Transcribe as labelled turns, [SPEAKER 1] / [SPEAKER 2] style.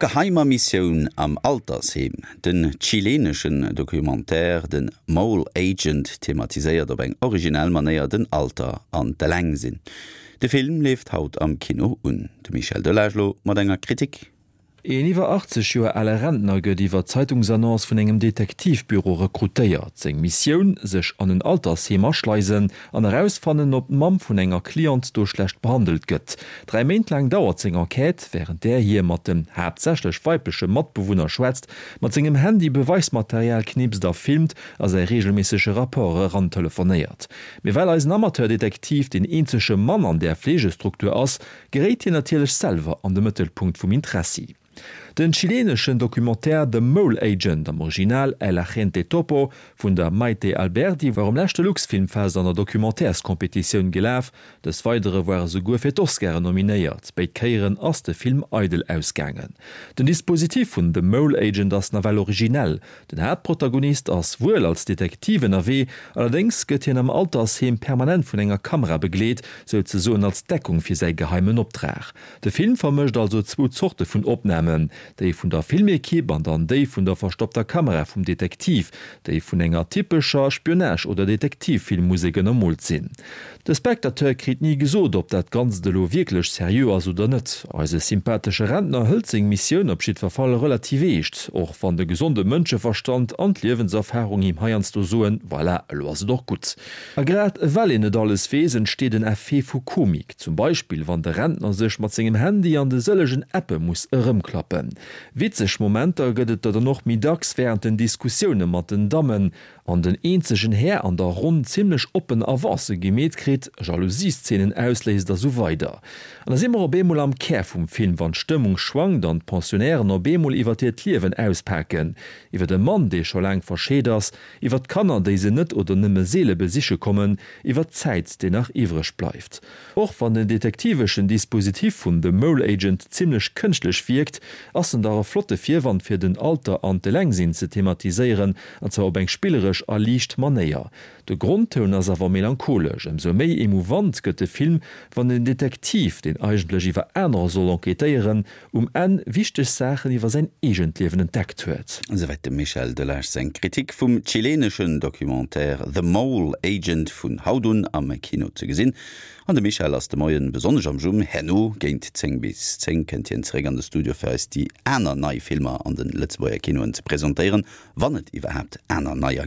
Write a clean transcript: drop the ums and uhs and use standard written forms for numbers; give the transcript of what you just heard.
[SPEAKER 1] geheimer Missioun am Altersheem. Den chileneschen Documentaire The Mole Agent thematiséiert op eng originell Manéier den Alter an d'Elengsinn. De Film leeft haut am Kino un. De Michel Delage lo mat enger Kritik.
[SPEAKER 2] Een iwwer 80 Joer ale Rentner gëtt iwwer Zeitungsannonce vun engem Detektivbüro rekrutéiert. Seng Missioun, sech an en Altersheem aschleisen an erausfannen, ob d'Mamm vun enger Cliente do schlecht behandelt gëtt. 3 Méint laang dauert seng Enquête, wärend där hie mat den haaptsächlech weibleche Matbewunner schwätzt, mat sengem Handy Beweismaterial knipst a filmt a säi reegelméissege Rapport erantelefonéiert. Mee well eisen Amateurdetektiv deen eenzege Mann an där Fleegestruktur ass, geréit hien natierlech selwer an de Mëttelpunkt vum Interessi. Den chileneschen Documentaire The Mole Agent, am Original El Agente Topo, vun der Maite Alberdi war um leschte Luxfilmfest an der Documentairescompetitioun gelaf. Des Weidere war e souguer fir d'Oscaren nominéiert. Béid Kéieren ass de Film eidel ausgaangen. Den Dispositif vun The Mole Agent ass nawell originell. Den Haaptprotagonist ass wuel als Detektiv ënnerwee, allerdéngs gëtt hien am Altersheem permanent vun enger Kamera begleet, souzesoen als Deckung fir säi geheimen Optrag. De Film vermëscht also zwou Zorte vun Opnamen, déi vun der Filmekipp an dann déi vun der verstoppter Kamera vum Detektiv, déi vun enger typescher Spionage oder Detektivfilmmusek ënnermoolt sinn. De Spectateur kritt ni gesot, ob dat Ganzt elo wierklech seriö ass oder net. Eise sympathesche Rentner hëlt seng Missioun op jiddwer Fall relativ eescht, och wann de gesonde Mënscheverstand an d'Liewenserfarung him heiansdo soen, Voilà, elo ass et och gutt. A grad well een net alles weess, entsteet en Effet vu Komik, zum Beispill wann de Rentner sech mat sengem Handy an de sëllegen Appe muss erëmklappen. Witzeg Momenter gëtt et der dann och méi dacks wärend den Diskussioune mat den Dammen, An den eenzegen Här an der Ronn zimlech oppen Avancë gemeet kritt, Jalousieszenen ausléist a sou weider. An da si mer op eemol am Kär vum Film, wann d'Stëmmung schwankt an d'Pensionnairen op eemol iwwert hiert Liewen auspaken, iwwert e Mann, dee scho laang verscheet ass, iwwert d'Kanner, déi se net oder nëmme seele besiche kommen, iwwert d'Zäit, déi nach iwwreg bleift. Och wann den detektiveschen Dispositif vun The Mole Agent zimlech kënschtlech wierkt, ass en dach e flotte Virwand fir den Alter an d'Elengsinn ze thematiséieren, an zwar op eng spilleresch a liicht Manéier. De Grondtoun ass awer melancholesch. Ëmsou méi emouvant gëtt de Film, wann den Detektiv, deen eigentlech iwwer anerer soll enquêtéieren, um Enn wichteg Saachen iwwer säin eegent Liewen entdeckt huet.
[SPEAKER 1] Esouwäit dem Michel Delage seng Kritik vum chileneschen Documentaire The Mole Agent vun haut un am Kino ze gesinn. An de Michel ass de Moien besonnesch am Jumm. Herno géint 10 bis 10 kënnt hien zeréck an de Studio fir eis déi aner nei Filmer an de Lëtzebuerger Kinoen ze presentéieren, wann et iwwerhaapt aner neier.